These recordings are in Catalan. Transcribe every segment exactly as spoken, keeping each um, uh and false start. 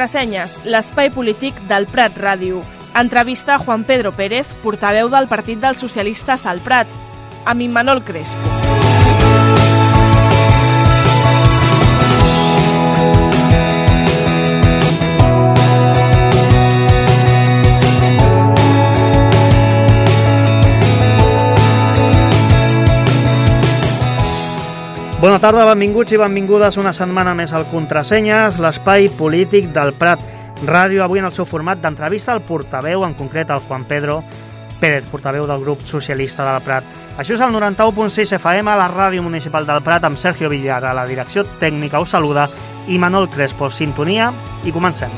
Contrasenyes, l'espai polític del Prat Ràdio. Entrevista a Juan Pedro Pérez, portaveu del Partit dels Socialistes al Prat, amb Immanol Crespo. Bona tarda, benvinguts i benvingudes una setmana més al Contrasenyes, l'espai polític del Prat Ràdio. Avui en el seu format d'entrevista al portaveu, en concret el Juan Pedro Pérez, portaveu del grup socialista del Prat. Això és el noranta-u punt sis F M, a la ràdio municipal del Prat, amb Sergio Villar a la direcció tècnica. Us saluda Immanol Crespo. Sintonia i comencem.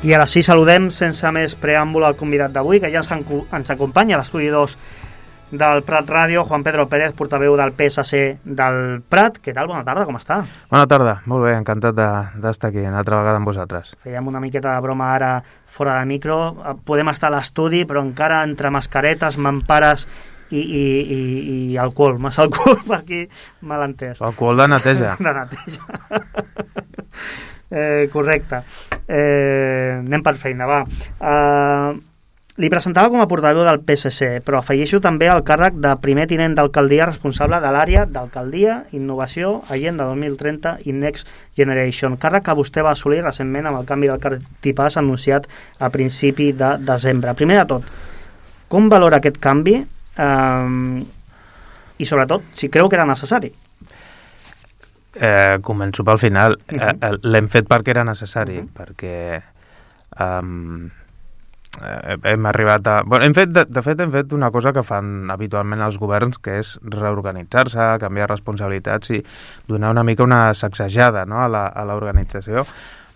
I ara sí, saludem sense més preàmbul al convidat d'avui, que ja ens acompanya a l'estudi dos del Prat Ràdio, Juan Pedro Pérez, portaveu del P S C del Prat. Què tal? Bona tarda, com està? Bona tarda, molt bé, encantat d'estar aquí una altra vegada amb vosaltres. Fèiem una miqueta de broma ara fora de micro. Podem estar a l'estudi, però encara entre mascaretes, mampares i, i, i, i alcohol. Massa alcohol per aquí, mal entès. Alcohol de neteja. De neteja. Eh, correcte. Eh, anem per feina, va. Eh, li presentava com a portaveu del P S C, però afegeixo també el càrrec de primer tinent d'alcaldia responsable de l'àrea d'alcaldia, innovació, Agenda dos mil trenta i Next Generation, càrrec que vostè va assolir recentment amb el canvi del cartipàs anunciat a principi de desembre. Primer de tot, com valora aquest canvi eh, i sobretot si creu que era necessari? Eh, començo pel final. Uh -huh. eh, l'hem fet perquè era necessari, uh -huh. perquè um, eh, hem arribat a... Bueno, hem fet, de, de fet, hem fet una cosa que fan habitualment els governs, que és reorganitzar-se, canviar responsabilitats i donar una mica una sacsejada, no?, a l'organització.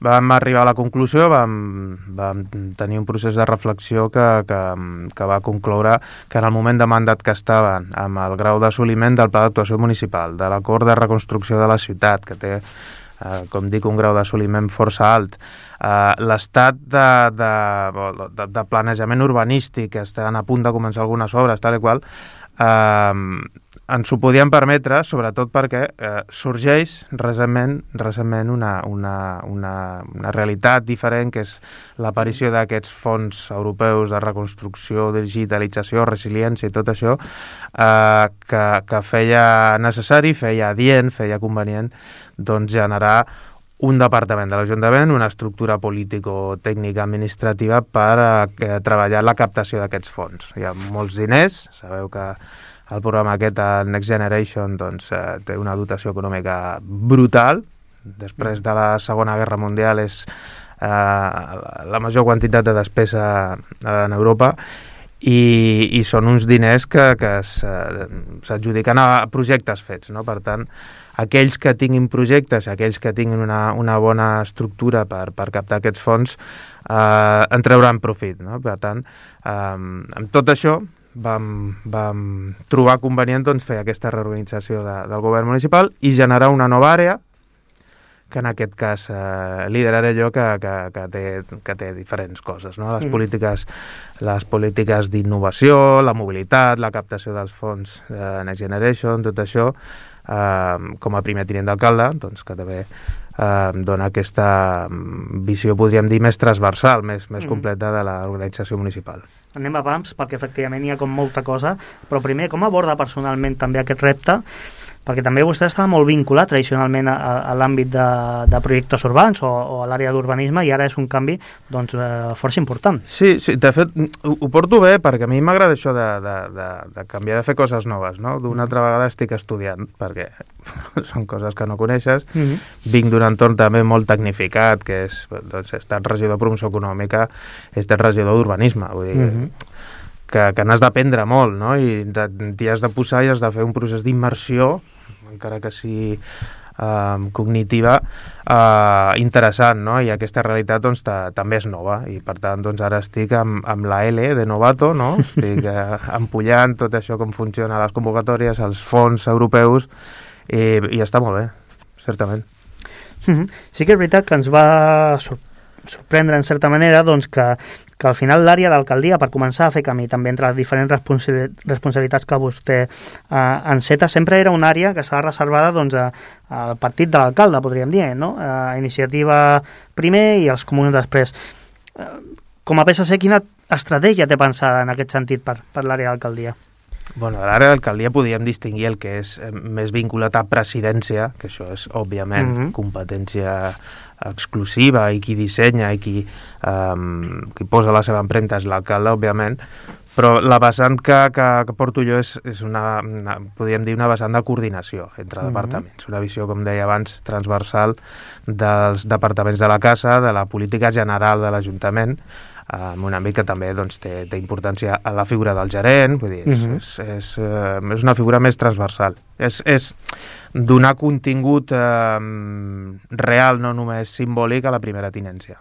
Vam arribar a la conclusió, vam, vam tenir un procés de reflexió que, que, que va concloure que en el moment de mandat que estaven, amb el grau d'assoliment del pla d'actuació municipal, de l'acord de reconstrucció de la ciutat, que té, eh, com dic, un grau d'assoliment força alt, eh, l'estat de, de, de, de planejament urbanístic, que estan a punt de començar algunes obres, tal i qual, eh, ens ho podien permetre, sobretot perquè eh, sorgeix recentment, recentment una, una, una, una realitat diferent, que és l'aparició d'aquests fons europeus de reconstrucció, digitalització, resiliència i tot això, eh, que, que feia necessari, feia adient, feia convenient doncs, generar un departament de l'Ajuntament, una estructura político-tècnica administrativa per eh, treballar la captació d'aquests fons. Hi ha molts diners, sabeu que el programa aquest, el Next Generation, doncs, eh, té una dotació econòmica brutal. Després de la Segona Guerra Mundial és eh, la major quantitat de despesa en Europa i, i són uns diners que, que s'adjudiquen a projectes fets, no? Per tant, aquells que tinguin projectes, aquells que tinguin una, una bona estructura per, per captar aquests fons, eh, en trauran profit, no? Per tant, eh, amb tot això, Vam, vam trobar convenient doncs, fer aquesta reorganització de, del govern municipal i generar una nova àrea que en aquest cas eh, lideraré jo, que, que, que, té, que té diferents coses, no? Les mm. polítiques, les polítiques d'innovació, la mobilitat, la captació dels fons de Next Generation, tot això, eh, com a primer tinent d'alcalde, doncs, que també eh, dona aquesta visió, podríem dir, més transversal, més, més mm. completa de l'organització municipal. Anem a pams, perquè efectivament hi ha com molta cosa, però primer, com aborda personalment també aquest repte? Perquè també vostè estava molt vinculat tradicionalment a, a l'àmbit de, de projectes urbans o, o a l'àrea d'urbanisme, i ara és un canvi doncs, eh, força important. Sí, sí, de fet, ho, ho porto bé, perquè a mi m'agrada això de, de, de, de canviar, de fer coses noves, no? D'una altra vegada estic estudiant, perquè són coses que no coneixes. Mm-hmm. Vinc d'un entorn també molt tecnificat, que és, doncs, he estat regidor de promoció econòmica, he estat regidor d'urbanisme, vull dir, mm-hmm. que, que n'has d'aprendre molt, no? I t'hi has de posar i has de fer un procés d'immersió, encara que sigui eh, cognitiva, eh, interessant, no? I aquesta realitat doncs, també és nova, i per tant doncs, ara estic amb, amb la L de novato, no? Estic eh, empullant tot això, com funciona les convocatòries, els fons europeus, i, i està molt bé, certament. Mm-hmm. Sí que és veritat que ens va sorprendre en certa manera doncs, que, que al final l'àrea d'alcaldia, per començar a fer camí també entre diferents responsabilitats que vostè eh, enceta, sempre era una àrea que estava reservada doncs, a, al partit de l'alcalde, podríem dir, no? A Iniciativa primer i els comuns després. Eh, com a P S C, quina estratègia té pensada en aquest sentit per, per l'àrea d'alcaldia? Bueno, a l'àrea d'alcaldia podíem distingir el que és més vinculat a presidència, que això és, òbviament, mm-hmm. competència exclusiva i qui dissenya i qui, um, qui posa la seva empremta és l'alcalde, òbviament, però la vessant que, que, que porto jo és, és una, una, podríem dir, una vessant de coordinació entre mm-hmm. departaments, una visió, com deia abans, transversal dels departaments de la casa, de la política general de l'Ajuntament, en un àmbit que també doncs, té, té importància a la figura del gerent, vull dir, és, uh-huh. és, és, és, és una figura més transversal. És, és donar contingut eh, real, no només simbòlic, a la primera tinència.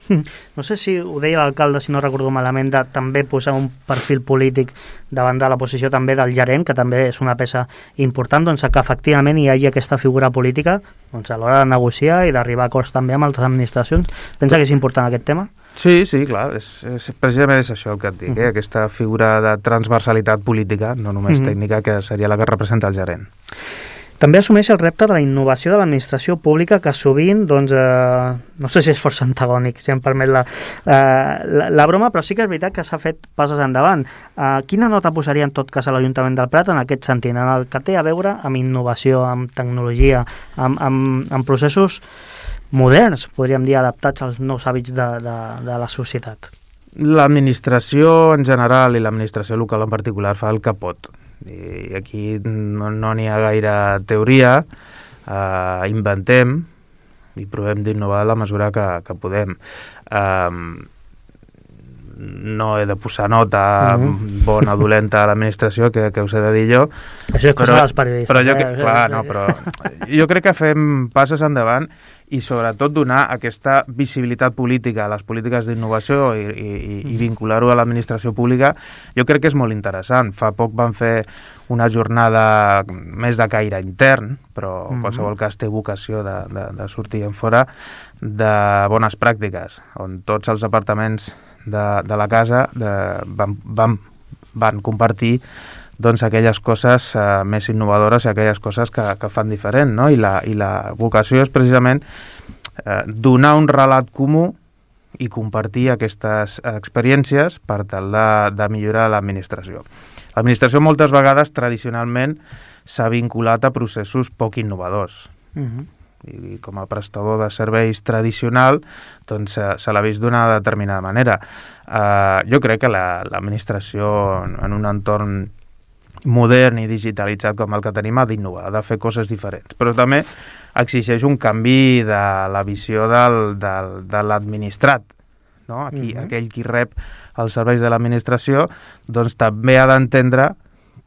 No sé si ho deia l'alcalde, si no recordo malament, de també posar un perfil polític davant de la posició també del gerent, que també és una peça important, doncs que efectivament hi hagi aquesta figura política doncs, a l'hora de negociar i d'arribar a acords també amb altres administracions. Pensa que és important aquest tema? Sí, sí, clar, és, és, precisament és això el que et dic, uh-huh. eh? Aquesta figura de transversalitat política, no només uh-huh. tècnica, que seria la que representa el gerent. També assumeix el repte de la innovació de l'administració pública, que sovint, doncs, eh, no sé si és força antagònic, si em permet la, eh, la, la broma, però sí que és veritat que s'ha fet passes endavant. Eh, quina nota posaria en tot cas a l'Ajuntament del Prat en aquest sentit, en el que té a veure amb innovació, amb tecnologia, amb, amb, amb processos moderns, podríem dir, adaptats als nous hàbits de, de, de la societat? L'administració en general i l'administració local en particular fa el que pot. I aquí no n'hi no ha gaire teoria, eh, inventem i provem d'innovar a la mesura que, que podem. Eh, no he de posar nota mm-hmm. bona o dolenta a l'administració, que, que us he de dir jo. Això és cosa dels periodistes. Però jo, eh? clar, no, però jo crec que fem passes endavant i sobretot donar aquesta visibilitat política a les polítiques d'innovació i, i, i vincular-ho a l'administració pública, jo crec que és molt interessant. Fa poc van fer una jornada més de caire intern, però en qualsevol cas té vocació de, de, de sortir en fora, de bones pràctiques, on tots els departaments de, de la casa de, van, van, van compartir doncs aquelles coses eh, més innovadores i aquelles coses que, que fan diferent, no? I la, i la vocació és precisament eh, donar un relat comú i compartir aquestes experiències per tal de, de millorar l'administració. L'administració moltes vegades, tradicionalment, s'ha vinculat a processos poc innovadors. Uh-huh. I com a prestador de serveis tradicional, doncs se, se l'ha vist d'una determinada manera. Eh, jo crec que la, l'administració en un entorn modern i digitalitzat com el que tenim ha d'innovar, ha de fer coses diferents, però també exigeix un canvi de la visió del, del, de l'administrat, no? Aquí, uh-huh. aquell qui rep els serveis de l'administració, doncs també ha d'entendre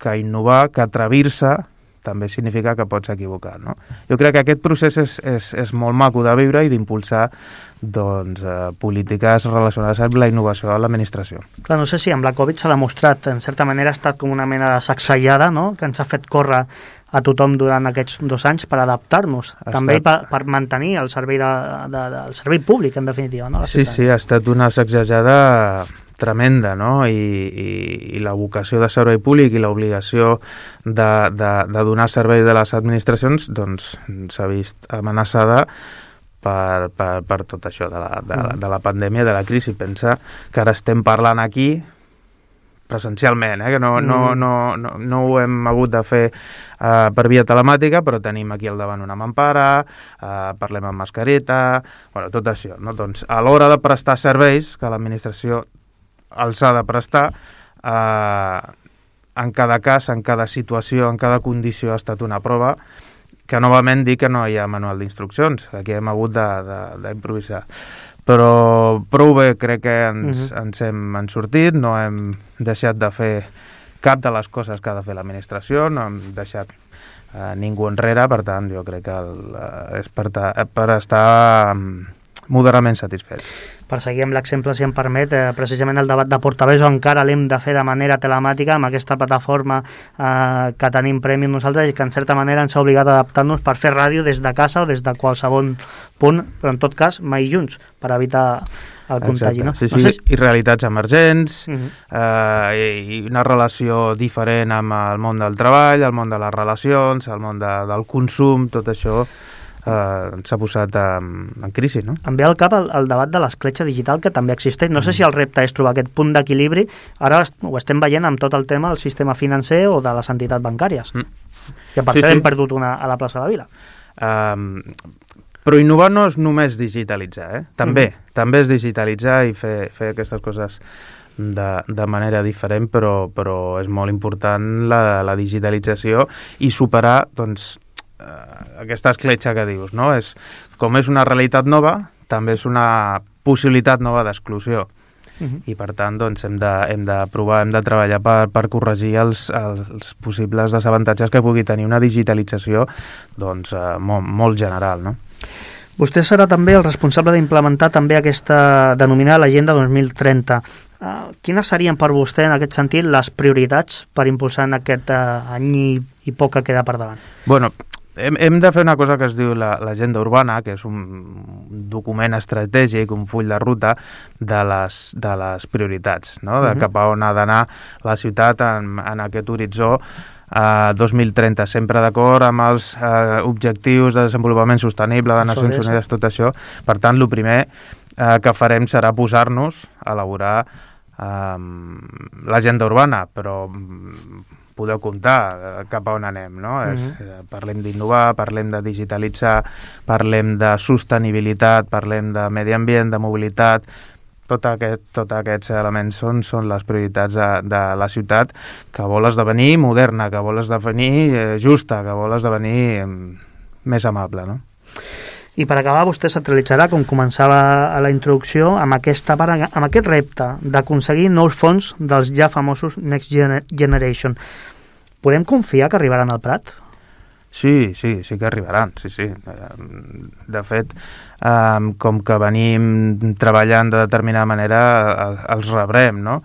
que innovar, que atrevir-se, també significa que pots equivocar, no? Jo crec que aquest procés és, és, és molt maco de viure i d'impulsar doncs, eh, polítiques relacionades amb la innovació de l'administració. Clar, no sé si amb la Covid s'ha demostrat, en certa manera ha estat com una mena de sacsejada, no?, que ens ha fet córrer a tothom durant aquests dos anys per adaptar-nos, ha també estat... per, per mantenir el servei, de, de, de, el servei públic, en definitiva, no? Sí, sí, ha estat una sacsejada tremenda, no? I, i, i la vocació de servei públic i l'obligació de, de, de donar servei de les administracions doncs s'ha vist amenaçada per, per, per tot això de la, de, de la pandèmia, de la crisi. Pensa que ara estem parlant aquí presencialment, eh? Que no, no, no, no, no ho hem hagut de fer uh, per via telemàtica, però tenim aquí al davant una mampara, uh, parlem amb mascareta, bueno, tot això, no? Doncs a l'hora de prestar serveis, que l'administració els ha de prestar, uh, en cada cas, en cada situació, en cada condició ha estat una prova, que novament dic que no hi ha manual d'instruccions, aquí hem hagut d'improvisar. Però prou bé crec que ens, uh-huh. ens hem en sortit, no hem deixat de fer cap de les coses que ha de fer l'administració, no hem deixat eh, ningú enrere, per tant jo crec que el, eh, és per, ta, per estar um, moderadament satisfets. per seguir amb l'exemple, si em permet, eh, precisament el debat de portaveus encara l'hem de fer de manera telemàtica amb aquesta plataforma eh, que tenim Premium nosaltres i que en certa manera ens ha obligat a adaptar-nos per fer ràdio des de casa o des de qualsevol punt, però en tot cas mai junts, per evitar el contagi. No? Sí, sí, no sé si... i realitats emergents, uh Mhm. -huh. eh, i una relació diferent amb el món del treball, el món de les relacions, el món de, del consum, tot això eh, s'ha posat en, en crisi, no? Em ve al cap el, el debat de l'escletxa digital que també existeix. No sé si el repte és trobar aquest punt d'equilibri. Ara ho estem veient amb tot el tema del sistema financer o de les entitats bancàries. Mm. Que per sí, això sí. hem perdut una a la plaça de la Vila. Um, però innovar no és només digitalitzar, eh? També, mm. també és digitalitzar i fer, fer aquestes coses de, de manera diferent, però, però és molt important la, la digitalització i superar, doncs, aquesta escletxa que dius, no? És, com és una realitat nova, també és una possibilitat nova d'exclusió. Uh-huh. I per tant doncs, hem, de, hem de provar, hem de treballar per, per corregir els, els possibles desavantatges que pugui tenir una digitalització doncs, eh, molt, molt general, no? Vostè serà també el responsable d'implementar també aquesta denominada l'Agenda dos mil trenta. Uh, quines serien per vostè, en aquest sentit, les prioritats per impulsar en aquest uh, any i, i poc que queda per davant? Bueno, hem, hem de fer una cosa que es diu l'agenda urbana, que és un document estratègic, un full de ruta de les, de les prioritats, no? De uh-huh. cap a on ha d'anar la ciutat en, en aquest horitzó Uh, dos mil trenta, sempre d'acord amb els uh, objectius de desenvolupament sostenible de Nacions Unides, tot això. Per tant, el primer uh, que farem serà posar-nos a elaborar um, l'agenda urbana, però um, podeu comptar uh, cap a on anem, no? Uh-huh. És, uh, parlem d'innovar, parlem de digitalitzar, parlem de sostenibilitat, parlem de medi ambient, de mobilitat. Tot aquest, tots aquests elements són, són les prioritats de, de la ciutat, que vol esdevenir moderna, que vol esdevenir eh, justa, que vol esdevenir eh, més amable, no? I per acabar, vostè centralitzarà, com començava a la introducció, amb, aquesta, amb aquest repte d'aconseguir nous fons dels ja famosos Next Generation. Podem confiar que arribaran al Prat? Sí, sí, sí que arribaran, sí, sí. De fet, um, com que venim treballant de determinada manera, els rebrem, no?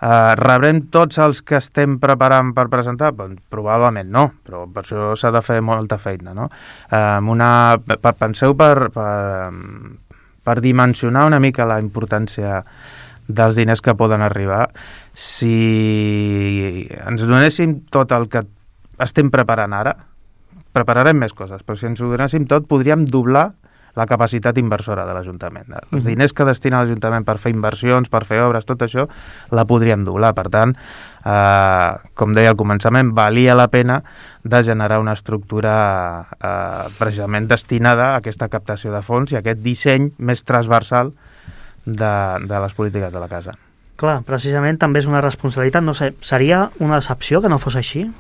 Uh, rebrem tots els que estem preparant per presentar? Doncs, probablement no, però per això s'ha de fer molta feina, no? Um, una, per, penseu per, per, per dimensionar una mica la importància dels diners que poden arribar. Si ens donéssim tot el que estem preparant ara, prepararem més coses, però si ens ho donéssim tot podríem doblar la capacitat inversora de l'Ajuntament. Els uh-huh. diners que destina l'Ajuntament per fer inversions, per fer obres, tot això, la podríem doblar. Per tant, eh, com deia al començament, valia la pena de generar una estructura eh, precisament destinada a aquesta captació de fons i a aquest disseny més transversal de, de les polítiques de la casa. Clar, precisament també és una responsabilitat. No sé, seria una decepció que no fos així?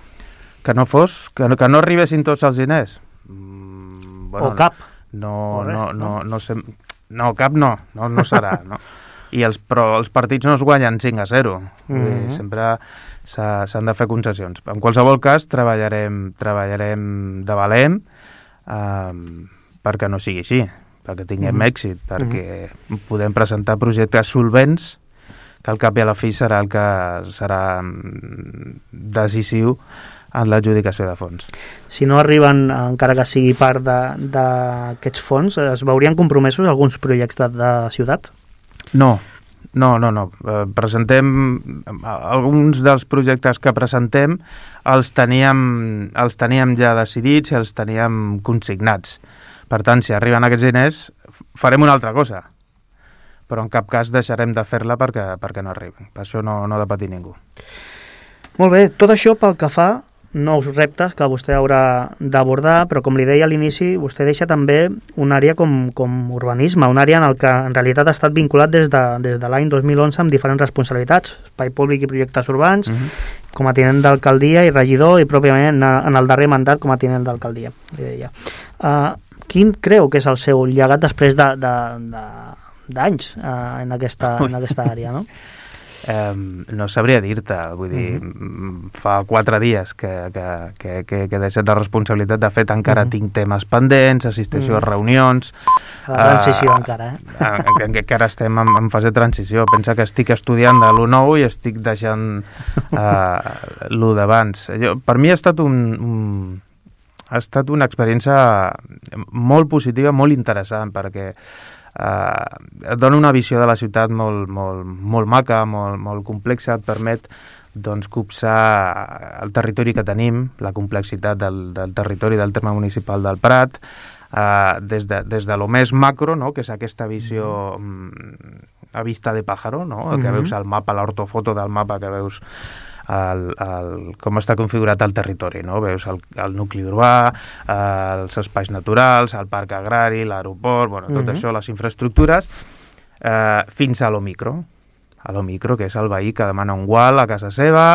Que no fos, que no, que no arribessin tots els diners? Mm, bueno, o cap? No, res, no, no, no, sé, no, cap no, no, no serà, no. I els, però els partits no es guanyen cinc a zero. Mm-hmm. Sempre s'han de fer concessions. En qualsevol cas, treballarem, treballarem de valent eh, perquè no sigui així, perquè tinguem mm-hmm. èxit, perquè mm-hmm. podem presentar projectes solvents que al cap i a la fi serà el que serà decisiu en l'adjudicació de fons. Si no arriben, encara que sigui part d'aquests fons, es veurien compromesos alguns projectes de, de ciutat? No, no, no, no. Eh, presentem, alguns dels projectes que presentem els teníem, els teníem ja decidits i els teníem consignats. Per tant, si arriben aquests diners, farem una altra cosa. Però en cap cas deixarem de fer-la perquè, perquè no arriben. Per això no, no ha de patir ningú. Molt bé, tot això pel que fa nous reptes que vostè haurà d'abordar, però com li deia a l'inici, vostè deixa també una àrea com, com urbanisme, una àrea en el que en realitat ha estat vinculat des de, des de l'any dos mil onze amb diferents responsabilitats, espai públic i projectes urbans, uh-huh. com a tinent d'alcaldia i regidor, i pròpiament en, en el darrer mandat com a tinent d'alcaldia, li deia. Uh, quin creu que és el seu llegat després de, de, de, d'anys uh, en, aquesta, en aquesta àrea, no? Eh, no sabria dir-te, vull dir, mm-hmm. fa quatre dies que, que, que, que, que he deixat la responsabilitat. De fet, encara mm-hmm. tinc temes pendents, assisteixo mm-hmm. a reunions. La transició uh, encara, eh? En, en, encara estem en, en fase de transició. Pensa que estic estudiant de l'u nou i estic deixant uh, l'u d'abans. Per mi ha estat un, un ha estat una experiència molt positiva, molt interessant, perquè Uh, et dona una visió de la ciutat molt, molt, molt maca, molt, molt complexa, et permet doncs, copsar el territori que tenim, la complexitat del, del territori del terme municipal del Prat, uh, des, de, des de lo més macro, no?, que és aquesta visió um, a vista de pájaro, no?, el que mm-hmm. veus al mapa, l'ortofoto del mapa, que veus El, el, com està configurat el territori, no? Veus el, el nucli urbà, eh, els espais naturals, el parc agrari, l'aeroport, bueno, tot mm-hmm. això, les infraestructures, eh, fins a lo micro, a lo micro, que és el veí que demana un gual a casa seva,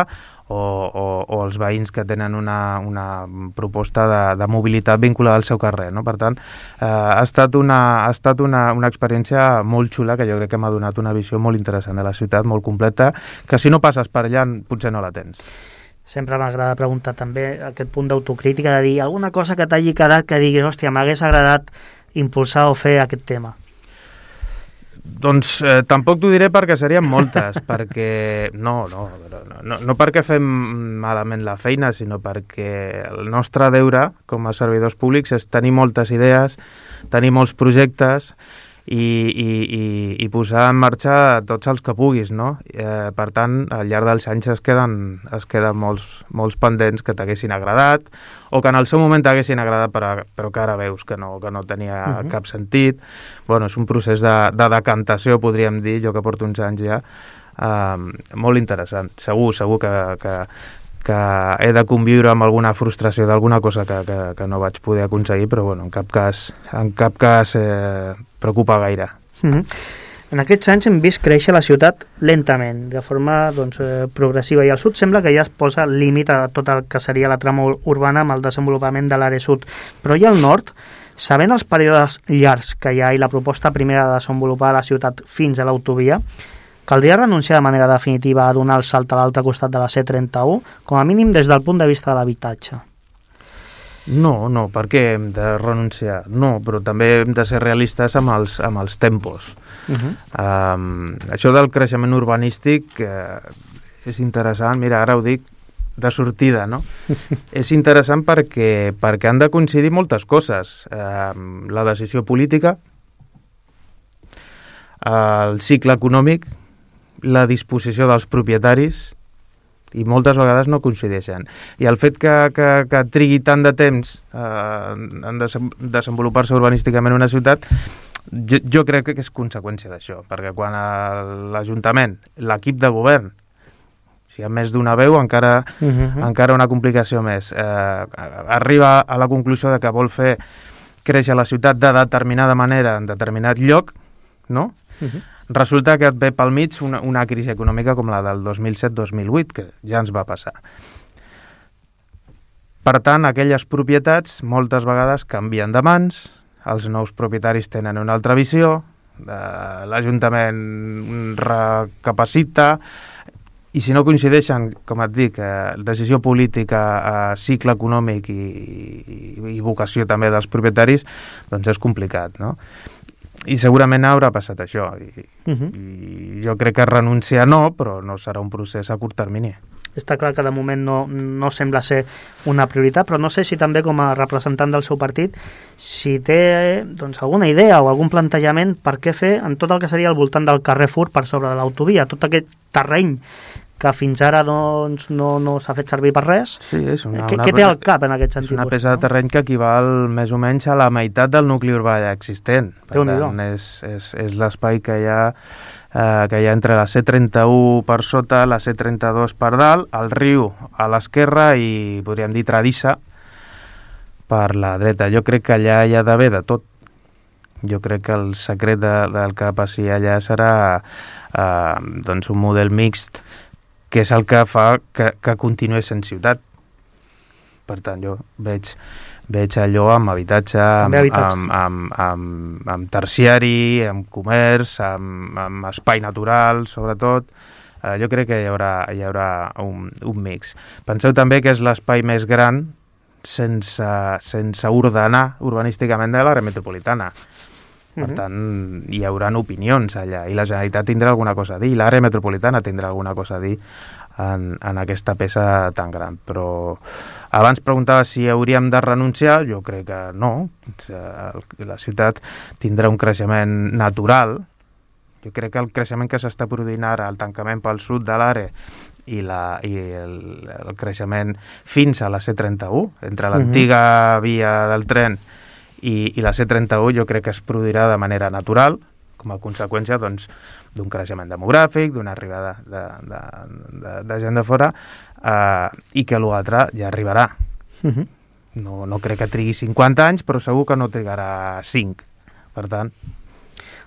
o, o, o els veïns que tenen una, una proposta de, de mobilitat vinculada al seu carrer, no? Per tant, eh, ha estat, una, ha estat una, una experiència molt xula, que jo crec que m'ha donat una visió molt interessant de la ciutat, molt completa, que si no passes per allà potser no la tens. Sempre m'agrada preguntar també aquest punt d'autocrítica, de dir alguna cosa que t'hagi quedat que diguis, hòstia, m'hagués agradat impulsar o fer aquest tema. Doncs eh, tampoc t'ho diré perquè serien moltes, perquè no, no, no, no, no perquè fem malament la feina, sinó perquè el nostre deure com a servidors públics és tenir moltes idees, tenir molts projectes i, i, i, i posar en marxa tots els que puguis, no? Eh, per tant, al llarg dels anys es queden, es queden molts, molts pendents que t'haguessin agradat o que en el seu moment t'haguessin agradat però, però que ara veus que no, que no tenia uh-huh. cap sentit. Bueno, és un procés de, de decantació, podríem dir, jo que porto uns anys ja, eh, molt interessant. Segur, segur que, que, que he de conviure amb alguna frustració d'alguna cosa que, que, que no vaig poder aconseguir, però bueno, en cap cas, en cap cas eh, preocupa gaire. Mm-hmm. En aquests anys hem vist créixer la ciutat lentament, de forma doncs, eh, progressiva, i al sud sembla que ja es posa límit a tot el que seria la trama urbana amb el desenvolupament de l'àrea sud. Però i al nord, sabent els períodes llargs que hi ha i la proposta primera de desenvolupar la ciutat fins a l'autovia, caldria renunciar de manera definitiva a donar el salt a l'altre costat de la C trenta-u, com a mínim des del punt de vista de l'habitatge? No, no, per què hem de renunciar? No, però també hem de ser realistes amb els, amb els tempos. Uh-huh. Um, això del creixement urbanístic eh, és interessant, mira, ara ho dic de sortida, no? És interessant perquè, perquè han de coincidir moltes coses. Um, la decisió política, el cicle econòmic, la disposició dels propietaris, i moltes vegades no coincideixen. I el fet que, que, que trigui tant de temps eh, en desenvolupar-se urbanísticament una ciutat, jo, jo crec que és conseqüència d'això, perquè quan l'Ajuntament, l'equip de govern, si hi ha més d'una veu, encara, uh-huh. encara una complicació més, eh, arriba a la conclusió de que vol fer créixer la ciutat de determinada manera en determinat lloc, no? Uh-huh. Resulta que et ve pel mig una, una crisi econòmica com la del dos mil set dos mil vuit, que ja ens va passar. Per tant, aquelles propietats moltes vegades canvien de mans, els nous propietaris tenen una altra visió, eh, l'Ajuntament recapacita, i si no coincideixen, com et dic, eh, decisió política, eh, cicle econòmic i, i, i vocació també dels propietaris, doncs és complicat, no? I segurament haurà passat això. I, uh-huh. i jo crec que renunciar no, però no serà un procés a curt termini. Està clar que de moment no, no sembla ser una prioritat, però no sé si també com a representant del seu partit, si té doncs, alguna idea o algun plantejament per què fer en tot el que seria al voltant del carrer Fur per sobre de l'autovia, tot aquest terreny que fins ara doncs, no, no s'ha fet servir per res. Sí, és una, què, una, què té al cap en aquest sentit? És una peça de terreny que equival més o menys a la meitat del nucli urbà ja existent. Per tant, és, és, és l'espai que hi ha eh, que hi ha entre la C trenta-u per sota, la C trenta-dos per dalt, el riu a l'esquerra i, podríem dir, Tradissa per la dreta. Jo crec que allà hi ha d'haver de tot. Jo crec que el secret de, del que passi allà serà eh, doncs un model mixt, que és el que fa que, que continuï sent ciutat. Per tant, jo veig, veig allò amb habitatge, amb, amb, amb, amb, amb terciari, amb comerç, amb, amb espai natural, sobretot, Uh, jo crec que hi haurà, hi haurà un, un mix. Penseu també que és l'espai més gran sense, sense ordenar urbanísticament de l'àrea metropolitana. Per uh-huh. tant, hi haurà opinions allà i la Generalitat tindrà alguna cosa a dir i l'àrea metropolitana tindrà alguna cosa a dir en, en aquesta peça tan gran. Però abans preguntava si hauríem de renunciar, jo crec que no. La ciutat tindrà un creixement natural. Jo crec que el creixement que s'està produint ara, el tancament pel sud de l'àrea i, la, i el, el creixement fins a la C trenta-u, entre l'antiga uh-huh. via del tren i, i la C trenta-u, jo crec que es produirà de manera natural, com a conseqüència doncs, d'un creixement demogràfic, d'una arribada de, de, de, de gent de fora, eh, i que l'altre ja arribarà. Uh-huh. No, no crec que trigui cinquanta anys, però segur que no trigarà cinc. Per tant...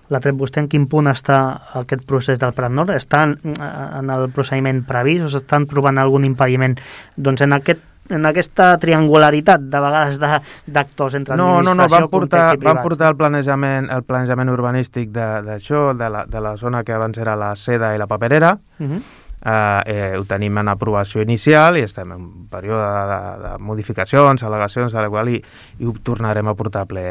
L'ha tret vostè en quin punt està aquest procés del Prat Nord? Està en, en el procediment previst o s'estan trobant algun impediment doncs, en, aquest, en aquesta triangularitat de vegades d'actors entre no, administració, no, no, van portar, context i privats? Van portar el planejament, el planejament urbanístic d'això, de, de, la, de la zona que abans era la Seda i la Paperera. Uh-huh. eh, eh, ho tenim en aprovació inicial i estem en un període de, de, de modificacions, al·legacions, de la qual i, i ho tornarem a portar ple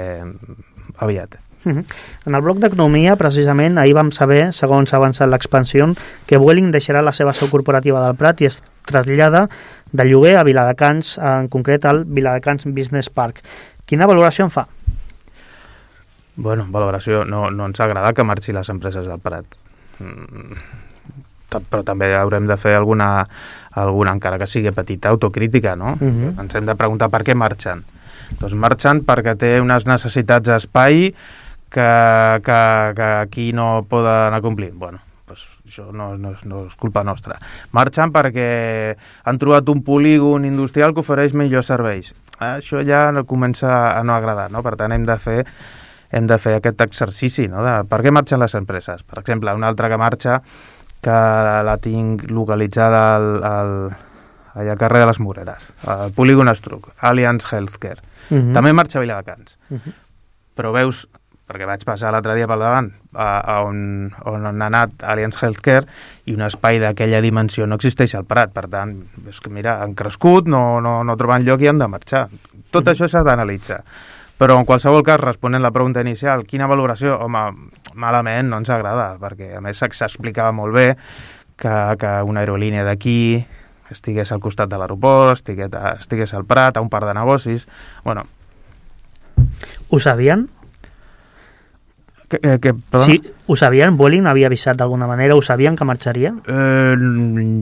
aviat. Uh-huh. En el bloc d'economia, precisament, ahir vam saber, segons ha avançat l'expansió, que Vueling deixarà la seva seu corporativa del Prat i es trasllada de lloguer a Viladecans, en concret al Viladecans Business Park. Quina valoració en fa? Bueno, valoració, no, no ens agrada que marxi les empreses del Prat. Mm, però també haurem de fer alguna, alguna, encara que sigui petita, autocrítica, no? Uh-huh. Ens hem de preguntar per què marxen. Doncs marxen perquè té unes necessitats d'espai que, que, que aquí no poden acomplir. Bueno, pues això no, no, no és culpa nostra. Marxen perquè han trobat un polígon industrial que ofereix millors serveis. Això ja no comença a no agradar, no? Per tant, hem de fer, hem de fer aquest exercici, no? De per què marxen les empreses. Per exemple, una altra que marxa, que la tinc localitzada al, al, allà al carrer de les Moreres, al polígon Estruc, Allianz Healthcare. Uh-huh. També marxa a Viladecans. Uh-huh. Però veus, perquè vaig passar l'altre dia pel davant, a, a on, on ha anat Allianz Healthcare, i un espai d'aquella dimensió no existeix al Prat. Per tant, és que mira, han crescut, no, no, no troben lloc i han de marxar. Tot uh-huh. això s'ha d'analitzar. Però en qualsevol cas, responent la pregunta inicial, quina valoració? Home, malament, no ens agrada, perquè a més s'explicava molt bé que, que una aerolínia d'aquí estigués al costat de l'aeroport, estigués, estigués al Prat, a un parc de negocis... Bueno. Ho sabien? Que, eh, que, sí, ho sabien? Vueling havia avisat d'alguna manera? Ho sabien que marxaria? Eh,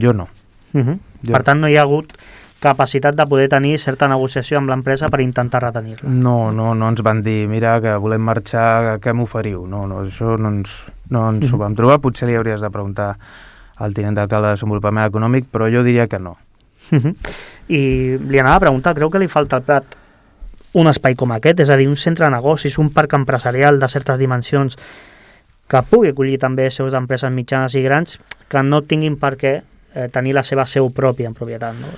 jo no. Uh-huh. Jo. Per tant, no hi ha hagut capacitat de poder tenir certa negociació amb l'empresa per intentar retenir-la. No, no, no ens van dir, mira, que volem marxar, què m'oferiu? No, no, això no ens, no ens uh-huh. ho vam trobar. Potser li hauries de preguntar al tinent d'alcalde de Desenvolupament Econòmic, però jo diria que no. Uh-huh. I li anava a preguntar, creu que li falta al Prat un espai com aquest, és a dir, un centre de negocis, un parc empresarial de certes dimensions que pugui acollir també seus d'empreses mitjanes i grans, que no tinguin per què eh, tenir la seva seu pròpia en propietat, no?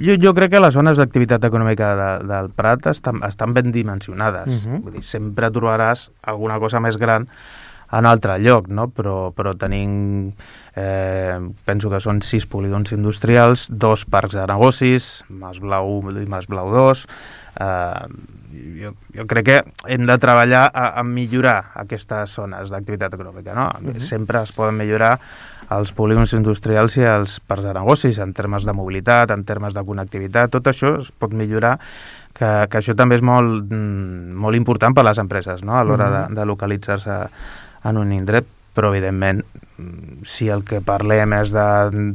Jo, jo crec que les zones d'activitat econòmica de, del Prat estan, estan ben dimensionades. Uh-huh. Vull dir, sempre trobaràs alguna cosa més gran en altre lloc, no? Però, però tenim, eh, penso que són sis polígons industrials, dos parcs de negocis, Mas Blau u i Mas Blau dos. Eh, jo, jo crec que hem de treballar a, a millorar aquestes zones d'activitat econòmica, no? Uh-huh. Sempre es poden millorar els polígons industrials i els parcs de negocis en termes de mobilitat, en termes de connectivitat, tot això es pot millorar, que, que això també és molt, molt important per a les empreses, no? A l'hora uh-huh. de, de localitzar-se en un indret, però evidentment si el que parlem és de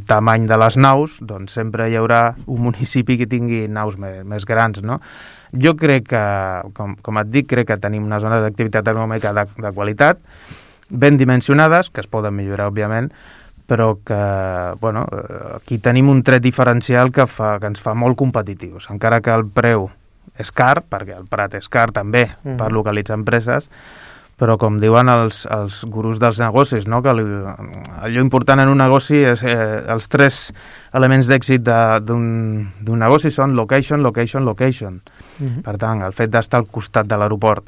tamany de les naus, doncs sempre hi haurà un municipi que tingui naus més, més grans, no? Jo crec que, com, com et dic, crec que tenim una zona d'activitat econòmica de, de qualitat, ben dimensionades, que es poden millorar, òbviament, però que, bueno, aquí tenim un tret diferencial que, fa, que ens fa molt competitius, encara que el preu és car, perquè el Prat és car també mm. per localitzar empreses, però com diuen els, els gurus dels negocis, no? Que allò important en un negoci és eh, els tres elements d'èxit d'un negoci són location, location, location. Uh-huh. Per tant, el fet d'estar al costat de l'aeroport,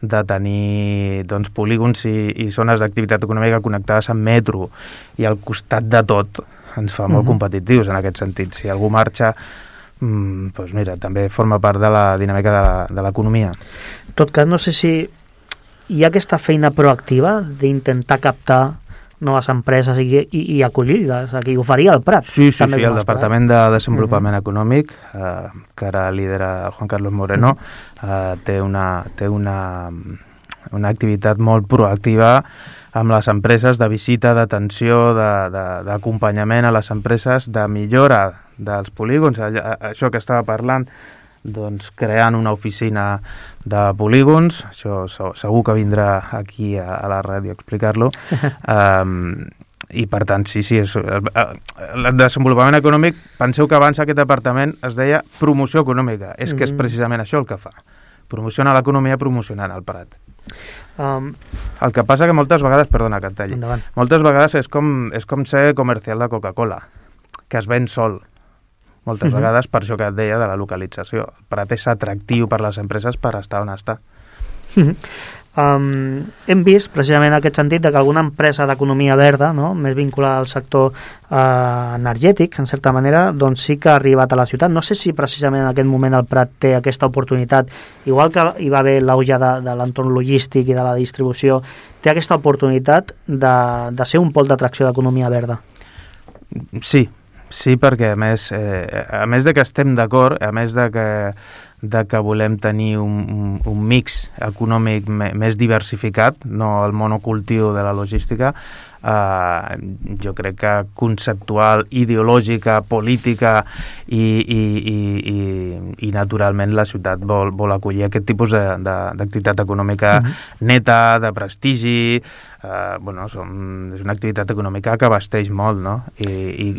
de tenir doncs, polígons i, i zones d'activitat econòmica connectades amb metro i al costat de tot ens fa molt uh-huh. competitius en aquest sentit. Si algú marxa, mm, doncs mira, també forma part de la dinàmica de l'economia. En tot cas, no sé si hi ha aquesta feina proactiva d'intentar captar noves empreses i, i, i acollir-les, que hi oferia el Prat. Sí, sí, sí, el Departament de Desenvolupament uh-huh. Econòmic, eh, que ara lidera el Juan Carlos Moreno, uh-huh. eh, té, una, té una, una activitat molt proactiva amb les empreses de visita, d'atenció, d'acompanyament a les empreses, de millora dels polígons, això que estava parlant, doncs creant una oficina de polígons, això segur que vindrà aquí a, a la ràdio a explicar-lo, um, i per tant, sí, sí, és, el, el desenvolupament econòmic, penseu que abans aquest departament es deia promoció econòmica, és mm-hmm. que és precisament això el que fa, promociona l'economia promocionant el Prat. Um, el que passa que moltes vegades, perdona que et talli, endavant. moltes vegades és com, és com ser comercial de Coca-Cola, que es ven sol, moltes uh-huh. vegades, per això que et deia de la localització. El Prat és atractiu per les empreses per estar on està. Uh-huh. Um, hem vist, precisament en aquest sentit, de que alguna empresa d'economia verda, no?, més vinculada al sector uh, energètic, en certa manera, doncs sí que ha arribat a la ciutat. No sé si precisament en aquest moment el Prat té aquesta oportunitat, igual que hi va haver l'auge de, de l'entorn logístic i de la distribució, té aquesta oportunitat de, de ser un pol d'atracció d'economia verda. Sí, Sí, perquè a més, eh, a més de que estem d'acord, a més de que, de que volem tenir un, un, un mix econòmic me, més diversificat, no el monocultiu de la logística, eh, jo crec que conceptual, ideològica, política i, i, i, i, i naturalment la ciutat vol, vol acollir aquest tipus d'activitat econòmica uh-huh. neta, de prestigi. Uh, bueno, som, és una activitat econòmica que abasteix molt, no? I,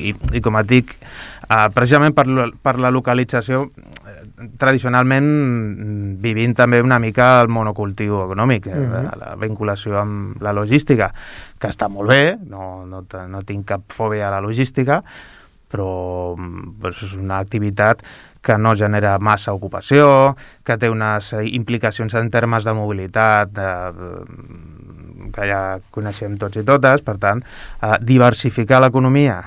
i, i com et dic, uh, precisament per, per la localització, tradicionalment vivint també una mica el monocultiu econòmic, uh-huh. la, la vinculació amb la logística, que està molt bé, no, no, no tinc cap fòbia a la logística, però pues, és una activitat que no genera massa ocupació, que té unes implicacions en termes de mobilitat, de, de que ja coneixem tots i totes, per tant, eh, diversificar l'economia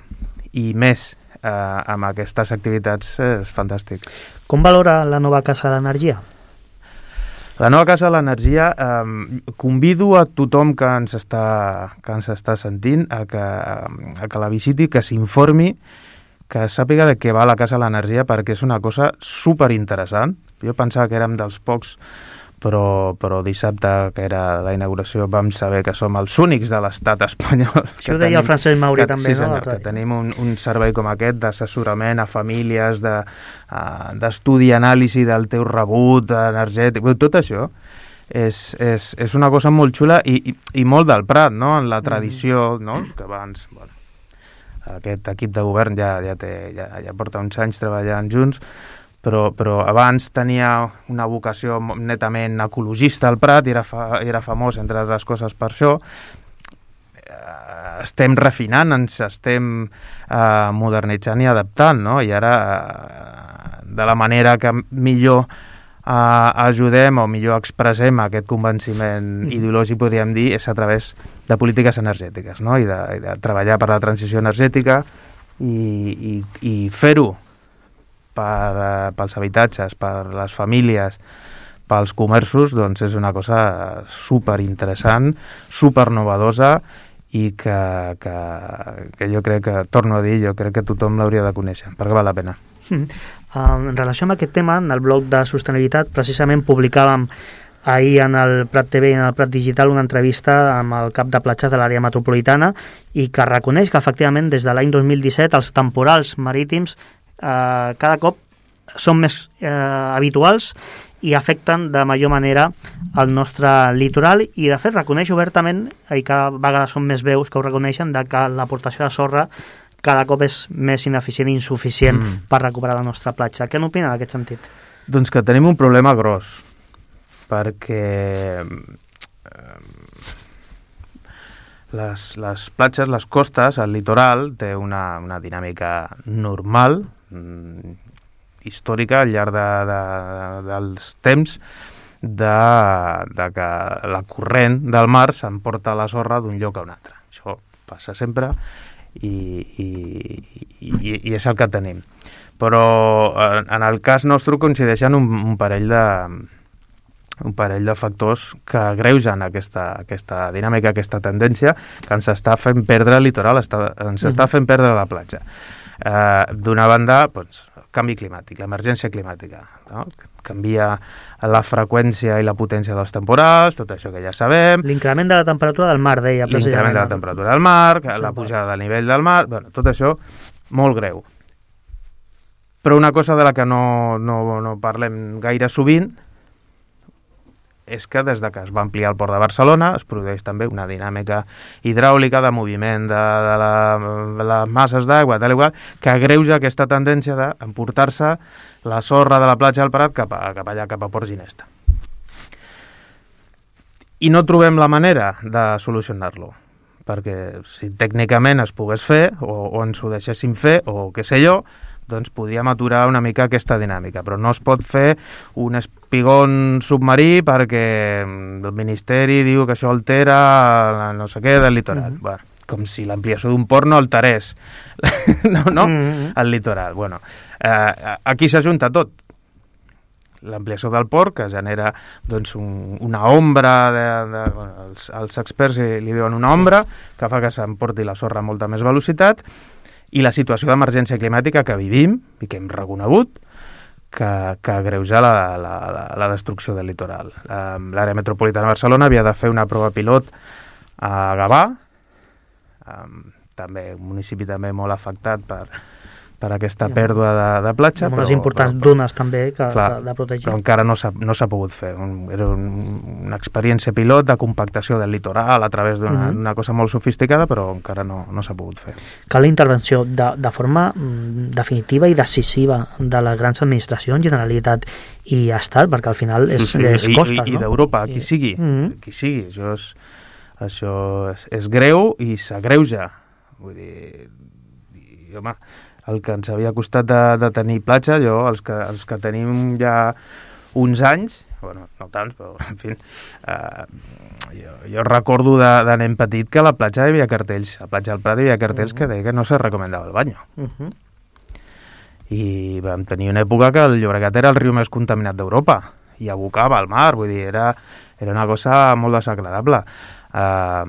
i més eh, amb aquestes activitats és fantàstic. Com valora la nova Casa de l'Energia? La nova Casa de l'Energia, eh, convido a tothom que ens està, que ens està sentint a que, a que la visiti, que s'informi, que sàpiga de què va la Casa de l'Energia, perquè és una cosa superinteressant. Jo pensava que érem dels pocs, però, però dissabte, que era la inauguració, vam saber que som els únics de l'estat espanyol. Això ho deia tenim, el Francesc Mauri que, també, sí, senyor, no? Que tenim un, un servei com aquest d'assessorament a famílies, de, uh, d'estudi i anàlisi del teu rebut energètic, tot això és, és, és una cosa molt xula i, i, i molt del Prat, no? En la tradició, mm. no? Que abans, bueno, aquest equip de govern ja, ja, té, ja, ja porta uns anys treballant junts, Però, però abans tenia una vocació netament ecologista al Prat i era, fa, era famós, entre altres coses, per això. Estem refinant, ens estem eh, modernitzant i adaptant, no? I ara, eh, de la manera que millor eh, ajudem o millor expressem aquest convenciment mm. ideològic, podríem dir, és a través de polítiques energètiques, no? I de, i de treballar per la transició energètica i, i, i fer-ho Per, uh, pels habitatges, per les famílies, pels comerços, doncs és una cosa superinteressant, supernovedosa i que, que, que jo crec que, torno a dir, jo crec que tothom l'hauria de conèixer, perquè val la pena. Mm. Uh, en relació amb aquest tema, en el blog de sostenibilitat, precisament publicàvem ahir en el Prat T V i en el Prat Digital una entrevista amb el cap de platges de l'àrea metropolitana i que reconeix que efectivament des de l'any dos mil disset els temporals marítims Uh, cada cop són més uh, habituals i afecten de major manera el nostre litoral i de fet reconeix obertament, i cada vegada són més veus que ho reconeixen, de que l'aportació de sorra cada cop és més ineficient i insuficient mm. per recuperar la nostra platja. Què n'opina en aquest sentit? Doncs que tenim un problema gros, perquè les, les platges, les costes, el litoral té una, una dinàmica normal, històrica al llarg de, de, dels temps, de, de que la corrent del mar s'emporta la sorra d'un lloc a un altre. Això passa sempre i, i, i, i és el que tenim. Però en el cas nostre coincideixen un, un parell de un parell de factors que agreugen aquesta, aquesta dinàmica, aquesta tendència que ens està fent perdre el litoral, està, ens està fent perdre la platja. Eh, d'una banda, doncs, canvi climàtic, l'emergència climàtica, no? Canvia la freqüència i la potència dels temporals, tot això que ja sabem. L'increment de la temperatura del mar, deia. L'increment de la temperatura del mar, la pujada del nivell del mar, bueno, tot això molt greu. Però una cosa de la que no, no, no parlem gaire sovint és que des de que es va ampliar el port de Barcelona es produeix també una dinàmica hidràulica de moviment de, de, la, de les masses d'aigua, tal i qual, que agreuja aquesta tendència d'emportar-se la sorra de la platja del Prat cap, a, cap allà, cap a Port Ginesta. I no trobem la manera de solucionar-lo, perquè si tècnicament es pogués fer, o, o ens ho deixéssim fer, o què sé jo, doncs podríem aturar una mica aquesta dinàmica, però no es pot fer un espigón submarí perquè el Ministeri diu que això altera no sé què del litoral. Mm-hmm. Bueno, com si l'ampliació d'un port no alterés no, no? Mm-hmm. el litoral. Bueno, eh, aquí s'ajunta tot. L'ampliació del port, que genera doncs, un, una ombra, de, de, bueno, els, els experts li diuen una ombra, que fa que s'emporti la sorra a molta més velocitat, i la situació d'emergència climàtica que vivim i que hem reconegut que, que agreuja la, la, la, la destrucció del litoral. L'àrea metropolitana de Barcelona havia de fer una prova pilot a Gavà, també un municipi també molt afectat per, per aquesta pèrdua de, de platja. Amb unes importants però, dunes també que, clar, que de protegir. Però encara no s'ha no s'ha pogut fer. Un, era un, una experiència pilot de compactació del litoral a través d'una uh-huh. cosa molt sofisticada, però encara no, no s'ha pogut fer. Cal la intervenció de, de forma mm, definitiva i decisiva de les grans administracions, Generalitat i Estat, perquè al final és, sí, sí. és costa, I, i, no? I d'Europa, qui sigui, uh-huh. qui sigui. Això és, això és, és greu i s'agreuja. Vull dir, i, home, el que ens havia costat de, de tenir platja, jo, els que, els que tenim ja uns anys, bueno, no tants, però, en fi, eh, jo, jo recordo de, de nen petit que a la platja hi havia cartells, a la platja del Prat hi havia cartells uh-huh. que deia que no se recomendava el bany. Uh-huh. I vam tenir una època que el Llobregat era el riu més contaminat d'Europa, i abocava al mar, vull dir, era, era una cosa molt desagradable. Eh,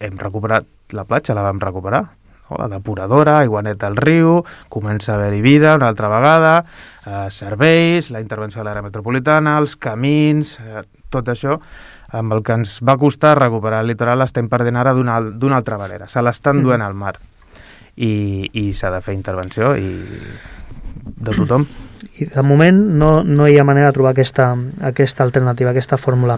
hem recuperat la platja, la vam recuperar, la depuradora, aigua neta al riu, comença a haver-hi vida una altra vegada, eh, serveis, la intervenció de l'àrea metropolitana, els camins, eh, tot això, amb el que ens va costar recuperar el litoral l'estem perdent ara d'una, d'una altra manera. Se l'estan duent al mar i, i s'ha de fer intervenció i de tothom. I de moment no, no hi ha manera de trobar aquesta, aquesta alternativa, aquesta fórmula.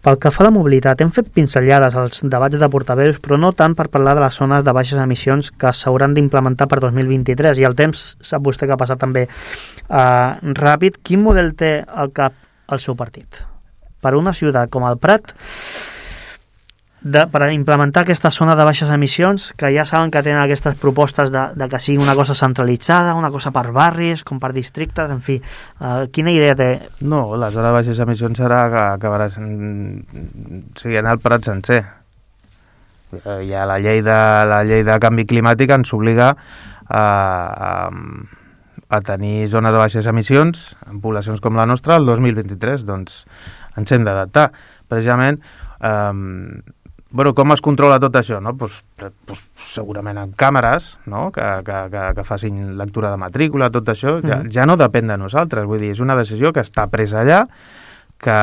Pel que fa a la mobilitat, hem fet pinzellades als debats de portaveus, però no tant per parlar de les zones de baixes emissions que s'hauran d'implementar per dos mil vint-i-tres, i el temps sap vostè que ha passat també eh, ràpid. Quin model té al cap el seu partit? Per una ciutat com el Prat, de, per implementar aquesta zona de baixes emissions, que ja saben que tenen aquestes propostes de, de que sigui una cosa centralitzada, una cosa per barris, com per districtes, en fi, uh, quina idea té? No, la zona de baixes emissions serà que acabarà sent el Prat sencer. Ja la llei de, la llei de canvi climàtic ens obliga a, a, a tenir zones de baixes emissions en poblacions com la nostra el dos mil vint-i-tres, doncs ens hem d'adaptar. Precisament, eh, bueno, com es controla tot això? No? Pues, pues, segurament amb càmeres, no? que, que, que, que facin lectura de matrícula, tot això, ja, mm. ja no depèn de nosaltres. Vull dir, és una decisió que està presa allà, que,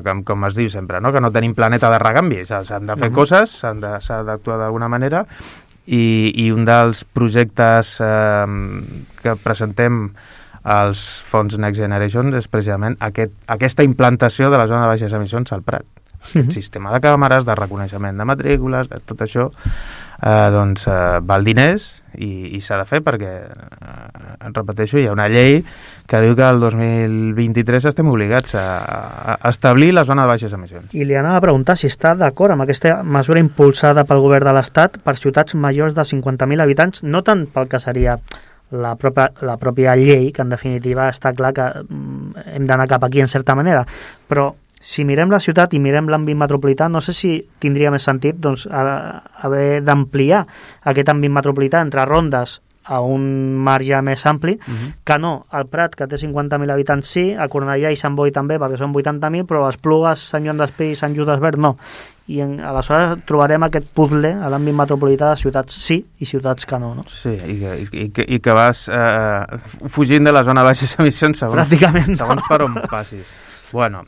com, com es diu sempre, no? que no tenim planeta de recanvi, s'han de fer mm. coses, s'ha d'actuar d'alguna manera, i, i un dels projectes eh, que presentem als fons Next Generation és precisament aquest, aquesta implantació de la zona de baixes emissions al Prat. Aquest sistema de càmeres, de reconeixement de matrícules, tot això eh, doncs, eh, val diners i, i s'ha de fer perquè, eh, repeteixo, hi ha una llei que diu que el dos mil vint-i-tres estem obligats a, a establir la zona de baixes emissions. I li anava a preguntar si està d'acord amb aquesta mesura impulsada pel govern de l'Estat per ciutats majors de cinquanta mil habitants, no tant pel que seria la pròpia, la pròpia llei, que en definitiva està clar que hem d'anar cap aquí en certa manera, però si mirem la ciutat i mirem l'àmbit metropolità, no sé si tindria més sentit doncs, haver d'ampliar aquest àmbit metropolità entre rondes a un marge més ampli, uh-huh. que no, el Prat, que té cinquanta mil habitants, sí, a Cornellà i Sant Boi també, perquè són vuitanta mil, però a Esplugues, Sant Joan d'Espí i Sant Just Desvern no. I en, aleshores trobarem aquest puzzle a l'àmbit metropolità de ciutats sí i ciutats que no. no? Sí, i que, i que, i que vas eh, fugint de la zona de baixes emissions segons, pràcticament segons no. per on passis. Bueno,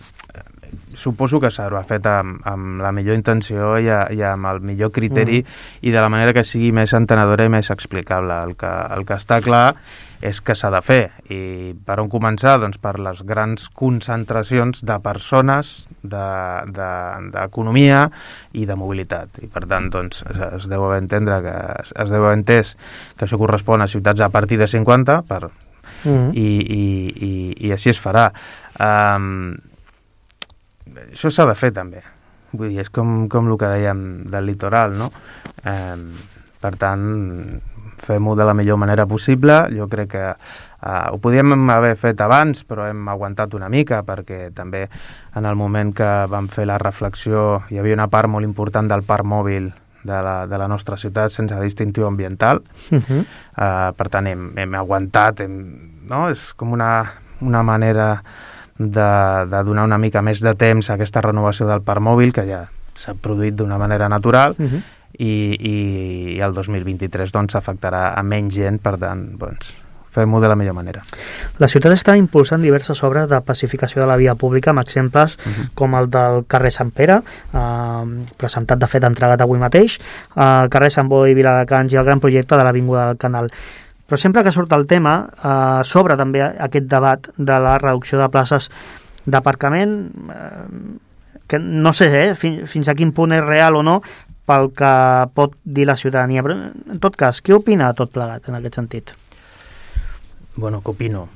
suposo que s'haurà fet amb, amb la millor intenció i, a, i amb el millor criteri mm. i de la manera que sigui més entenedora i més explicable. El que, el que està clar és que s'ha de fer. I per on començar? Doncs per les grans concentracions de persones, d'economia de, de, i de mobilitat. I per tant, doncs, es, es deu haver entendre que es, es deu haver entès que això correspon a ciutats a partir de cinquanta per, mm. i, i, i, i així es farà. Um, això s'ha de fer també, vull dir, és com, com el que dèiem del litoral, no? Eh, per tant, fem-ho de la millor manera possible. Jo crec que eh, ho podíem haver fet abans, però hem aguantat una mica, perquè també en el moment que vam fer la reflexió hi havia una part molt important del parc mòbil de la, de la nostra ciutat sense distintiu ambiental. Uh-huh. eh, per tant, hem, hem aguantat, hem, no? És com una, una manera de, de donar una mica més de temps a aquesta renovació del parc mòbil, que ja s'ha produït d'una manera natural, uh-huh. i, i, i el dos mil vint-i-tres doncs afectarà a menys gent, per tant, doncs, fem-ho de la millor manera. La ciutat està impulsant diverses obres de pacificació de la via pública, amb exemples uh-huh. com el del carrer Sant Pere, eh, presentat de fet entregat avui mateix, eh, carrer Sant Boi, Viladecans i el gran projecte de l'Avinguda del Canal. Però sempre que surt el tema, eh, s'obre també aquest debat de la reducció de places d'aparcament, eh, que no sé eh, fins, fins a quin punt és real o no, pel que pot dir la ciutadania. Però, en tot cas, què opina tot plegat en aquest sentit? Bueno, què opino?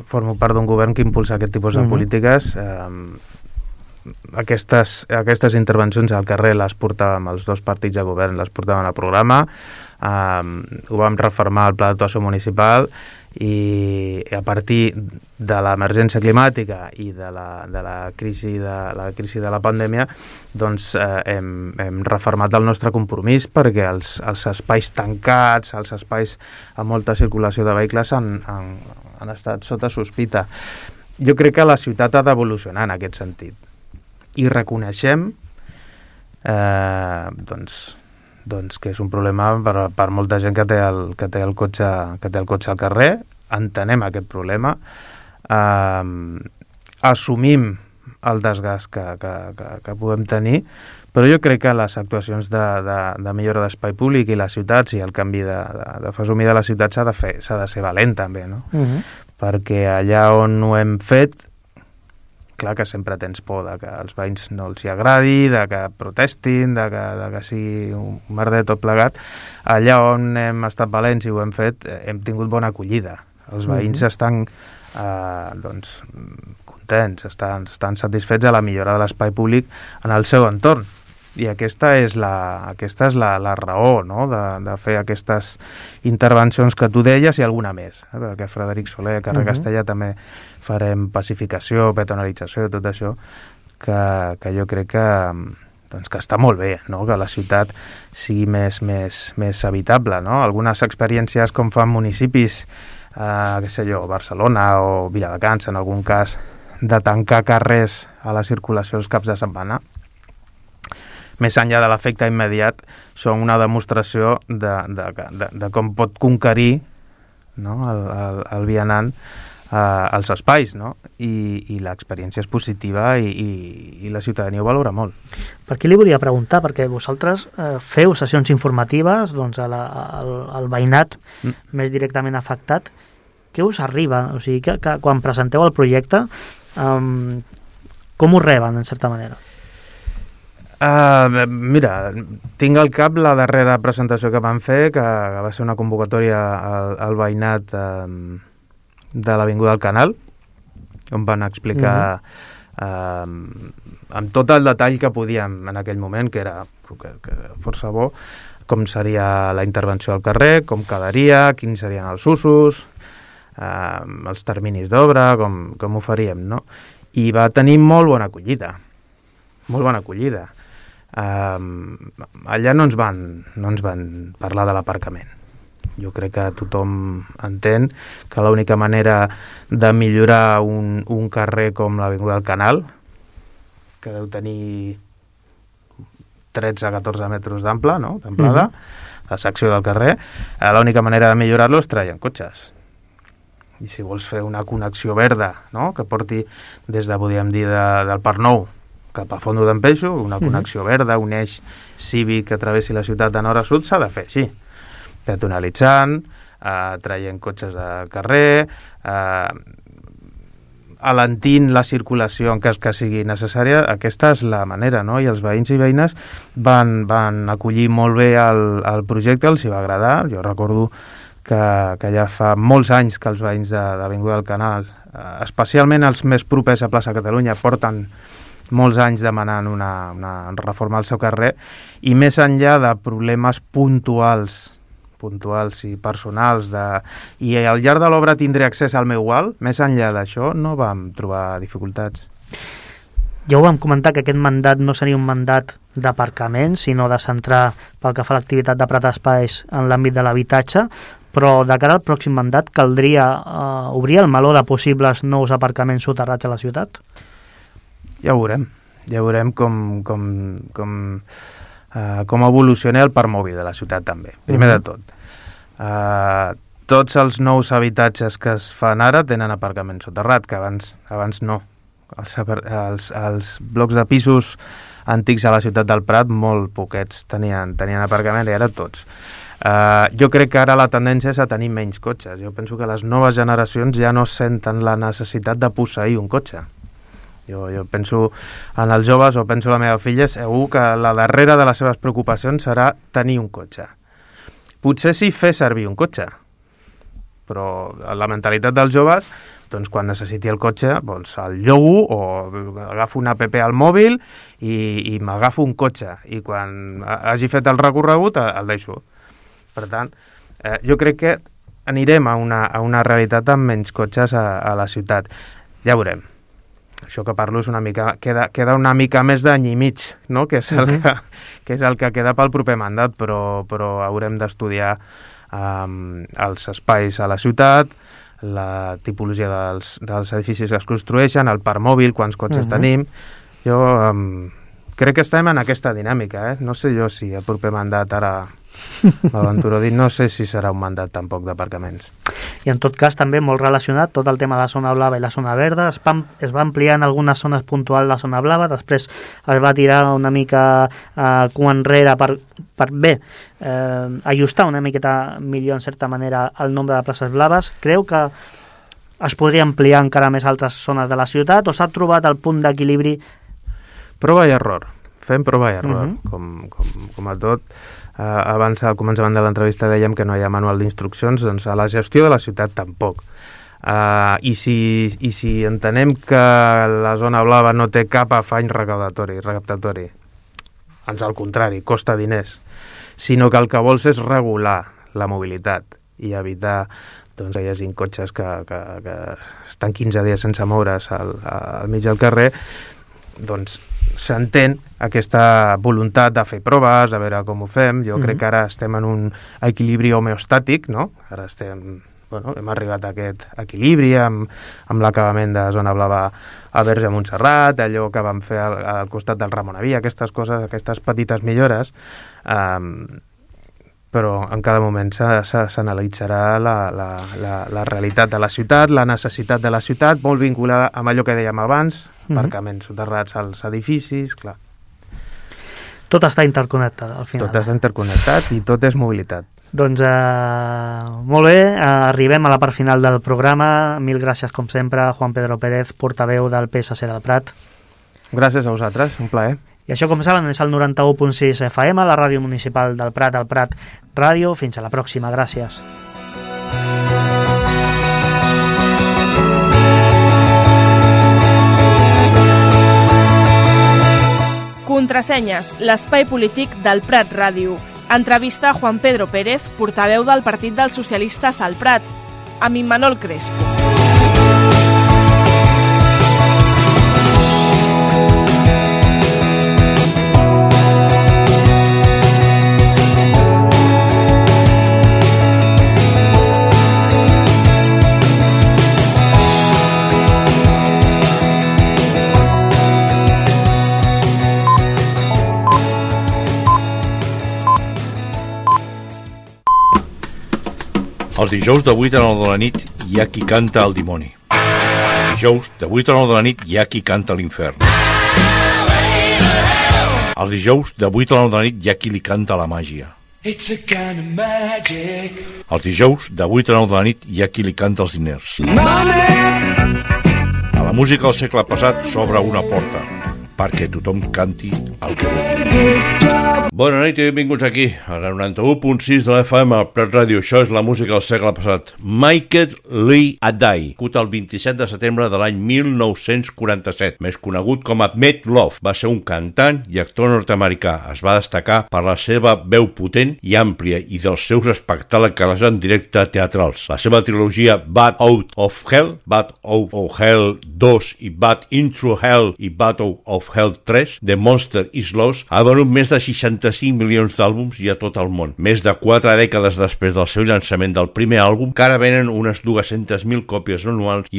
Formo part d'un govern que impulsa aquest tipus de uh-huh. polítiques. Eh, aquestes, aquestes intervencions al carrer les portàvem els dos partits de govern, les portàvem al programa. Um, ho vam reformar al pla d'actuació municipal i a partir de l'emergència climàtica i de la, de la crisi de la crisi de la pandèmia doncs eh, hem, hem reformat el nostre compromís, perquè els, els espais tancats, els espais amb molta circulació de vehicles han, han, han estat sota sospita. Jo crec que la ciutat ha d'evolucionar en aquest sentit i reconeixem eh, doncs doncs que és un problema per, per molta gent que té, el, que té el cotxe que té el cotxe al carrer. Entenem aquest problema, eh, assumim el desgast que, que, que, que podem tenir, però jo crec que les actuacions de, de, de millora d'espai públic i les ciutats i el canvi de, de, de fesomia de la ciutat s'ha de fer, s'ha de ser valent també, no? Uh-huh. Perquè allà on ho hem fet, clar que sempre tens por de que als veïns no els hi agradi, de que protestin, de que, de que sigui un merder tot plegat. Allà on hem estat valents i ho hem fet, hem tingut bona acollida. Els veïns mm-hmm. estan eh, doncs, contents, estan, estan satisfets de la millora de l'espai públic en el seu entorn. I aquesta és la, aquesta és la, la raó, no?, de, de fer aquestes intervencions que tu deies i alguna més. Eh? Perquè Frederic Soler, carrer uh-huh. Castellà, també farem pacificació, peatonalització, tot això, que, que jo crec que, doncs, que està molt bé, no?, que la ciutat sigui més, més, més habitable, no? Algunes experiències com fan municipis, eh, què sé jo, Barcelona o Viladecans, en algun cas, de tancar carrers a la circulació els caps de setmana, més enllà de l'efecte immediat, són una demostració de, de, de, de com pot conquerir, no?, el, el, el vianant eh, els espais, no? I, i l'experiència és positiva i, i, i la ciutadania ho valora molt. Per què li volia preguntar? Perquè vosaltres eh, feu sessions informatives doncs, a la, al, al veïnat mm. més directament afectat. Què us arriba? O sigui, que, que quan presenteu el projecte, eh, com ho reben, en certa manera? Uh, mira, tinc al cap la darrera presentació que van fer, que, que va ser una convocatòria al, al veïnat um, de l'Avinguda del Canal, on van explicar uh-huh. um, amb tot el detall que podíem en aquell moment, que era que, que força bo, com seria la intervenció al carrer, com quedaria, quins serien els usos, eh, els terminis d'obra, com, com ho faríem, no? I va tenir molt bona acollida, molt bona acollida. Eh, allà no ens van, no ens van parlar de l'aparcament. Jo crec que tothom entén que l'única manera de millorar un, un carrer com l'Avinguda del Canal, que deu tenir tretze a catorze metres d'ample, no?, d'amplada, mm-hmm. la secció del carrer, eh, l'única manera de millorar-lo és traient cotxes. I si vols fer una connexió verda, no?, que porti des de, podríem dir, de, del Parc Nou cap a Fondo d'en Peixo, una connexió mm-hmm. verda, un eix cívic que travessi la ciutat de nord a sud, s'ha de fer així. Peatonalitzant, eh, traient cotxes de carrer, eh, alentint la circulació en cas que sigui necessària. Aquesta és la manera, no? I els veïns i veïnes van, van acollir molt bé el, el projecte, els hi va agradar. Jo recordo que, que ja fa molts anys que els veïns de, d'Avinguda del Canal, eh, especialment els més propers a Plaça Catalunya, porten molts anys demanant una, una reforma al seu carrer, i més enllà de problemes puntuals puntuals i personals de... i al llarg de l'obra tindré accés al meu wall, més enllà d'això no vam trobar dificultats. Ja ho vam comentar, que aquest mandat no seria un mandat d'aparcament, sinó de centrar pel que fa a l'activitat de Prat Espais en l'àmbit de l'habitatge, però de cara al pròxim mandat caldria eh, obrir el meló de possibles nous aparcaments soterrats a la ciutat? Ja ho veurem, ja veurem com... com, com... Uh, com evoluciona el parc mòbil de la ciutat també, primer uh-huh. de tot. Uh, tots els nous habitatges que es fan ara tenen aparcament soterrat, que abans, abans no. Els, els, els blocs de pisos antics a la ciutat del Prat, molt poquets tenien, tenien aparcament, i ara tots. Uh, jo crec que ara la tendència és a tenir menys cotxes. Jo penso que les noves generacions ja no senten la necessitat de posseir un cotxe. Jo, jo penso en els joves, o penso en la meva filla, segur que la darrera de les seves preocupacions serà tenir un cotxe. Potser sí fer servir un cotxe, però la mentalitat dels joves, doncs quan necessiti el cotxe, doncs el llogo o agafo una app al mòbil i, i m'agafo un cotxe, i quan hagi fet el recorregut el deixo. Per tant, eh, jo crec que anirem a una, a una realitat amb menys cotxes a, a la ciutat. Ja veurem. Això que parlo és una mica, queda, queda una mica més d'any i mig, no? que, és el uh-huh. que, que és el que queda pel proper mandat, però, però haurem d'estudiar um, els espais a la ciutat, la tipologia dels, dels edificis que es construeixen, el parc mòbil, quants cotxes uh-huh. tenim. Jo um, crec que estem en aquesta dinàmica, eh? No sé jo si el proper mandat ara m'aventuro a dir, no sé si serà un mandat tampoc d'aparcaments. I en tot cas també molt relacionat tot el tema de la zona blava i la zona verda, es va, es va ampliar en algunes zones puntuals la zona blava, després es va tirar una mica eh, cua enrere per, per bé, eh, ajustar una miqueta millor en certa manera el nombre de places blaves. Creu que es podria ampliar encara més altres zones de la ciutat, o s'ha trobat el punt d'equilibri? Prova i error, fem prova i error, uh-huh. com, com, com a tot. Uh, abans, al començament de l'entrevista, dèiem que no hi ha manual d'instruccions, doncs a la gestió de la ciutat tampoc. Uh, i, si, I si entenem que la zona blava no té cap afany recaptatori, recaptatori, ans al contrari, costa diners, sinó que el que vols és regular la mobilitat i evitar doncs, que hi hagi cotxes que, que, que estan quinze dies sense moure's al, al mig del carrer, doncs s'entén aquesta voluntat de fer proves, a veure com ho fem. Jo mm-hmm. crec que ara estem en un equilibri homeostàtic, no? Ara estem, bueno, hem arribat a aquest equilibri amb, amb l'acabament de zona blava a Verge Montserrat, allò que vam fer al, al costat del Ramon Avia, aquestes coses, aquestes petites millores, um, però en cada moment s'analitzarà la, la, la, la realitat de la ciutat, la necessitat de la ciutat, molt vinculada amb allò que dèiem abans, aparcaments soterrats als edificis, clar. Tot està interconnectat, al final. Tot està interconnectat i tot és mobilitat. Doncs eh, molt bé, eh, arribem a la part final del programa. Mil gràcies, com sempre, Juan Pedro Pérez, portaveu del P S C del Prat. Gràcies a vosaltres, un plaer. I això, com saben, és el noranta-u punt sis F M, la ràdio municipal del Prat, el Prat Ràdio. Fins a la pròxima, gràcies. Contrasenyes, l'espai polític del Prat Ràdio. Entrevista a Juan Pedro Pérez, portaveu del Partit dels Socialistes al Prat, amb Immanol Crespo. Els dijous de vuit a nou de la nit hi ha qui canta el dimoni. Els dijous de vuit a nou de la nit hi ha qui canta l'infern. Els dijous de vuit a nou de la nit hi ha qui li canta la màgia. Els dijous de vuit a nou de la nit hi ha qui li canta els diners. A la música del segle passat s'obre una porta perquè tothom canti el que vulgui. Bona nit i benvinguts aquí, a la noranta-u punt sis de l'F M, al Prat Ràdio. Això és la música del segle passat. Michael Lee Adai, nascut el vint-i-set de setembre de l'any mil nou-cents quaranta-set, més conegut com a Meat Loaf. Va ser un cantant i actor nord-americà. Es va destacar per la seva veu potent i àmplia i dels seus espectacles en directe teatrals. La seva trilogia Bat Out of Hell, Bat Out of Hell dos i Bat Into Hell i Battle of Hell tres, The Monster is Lost, ha venut més de seixanta-cinc milions d'àlbums i a tot el món. Més de quatre dècades després del seu llançament del primer àlbum, que ara venen unes dues-centes mil còpies anuals i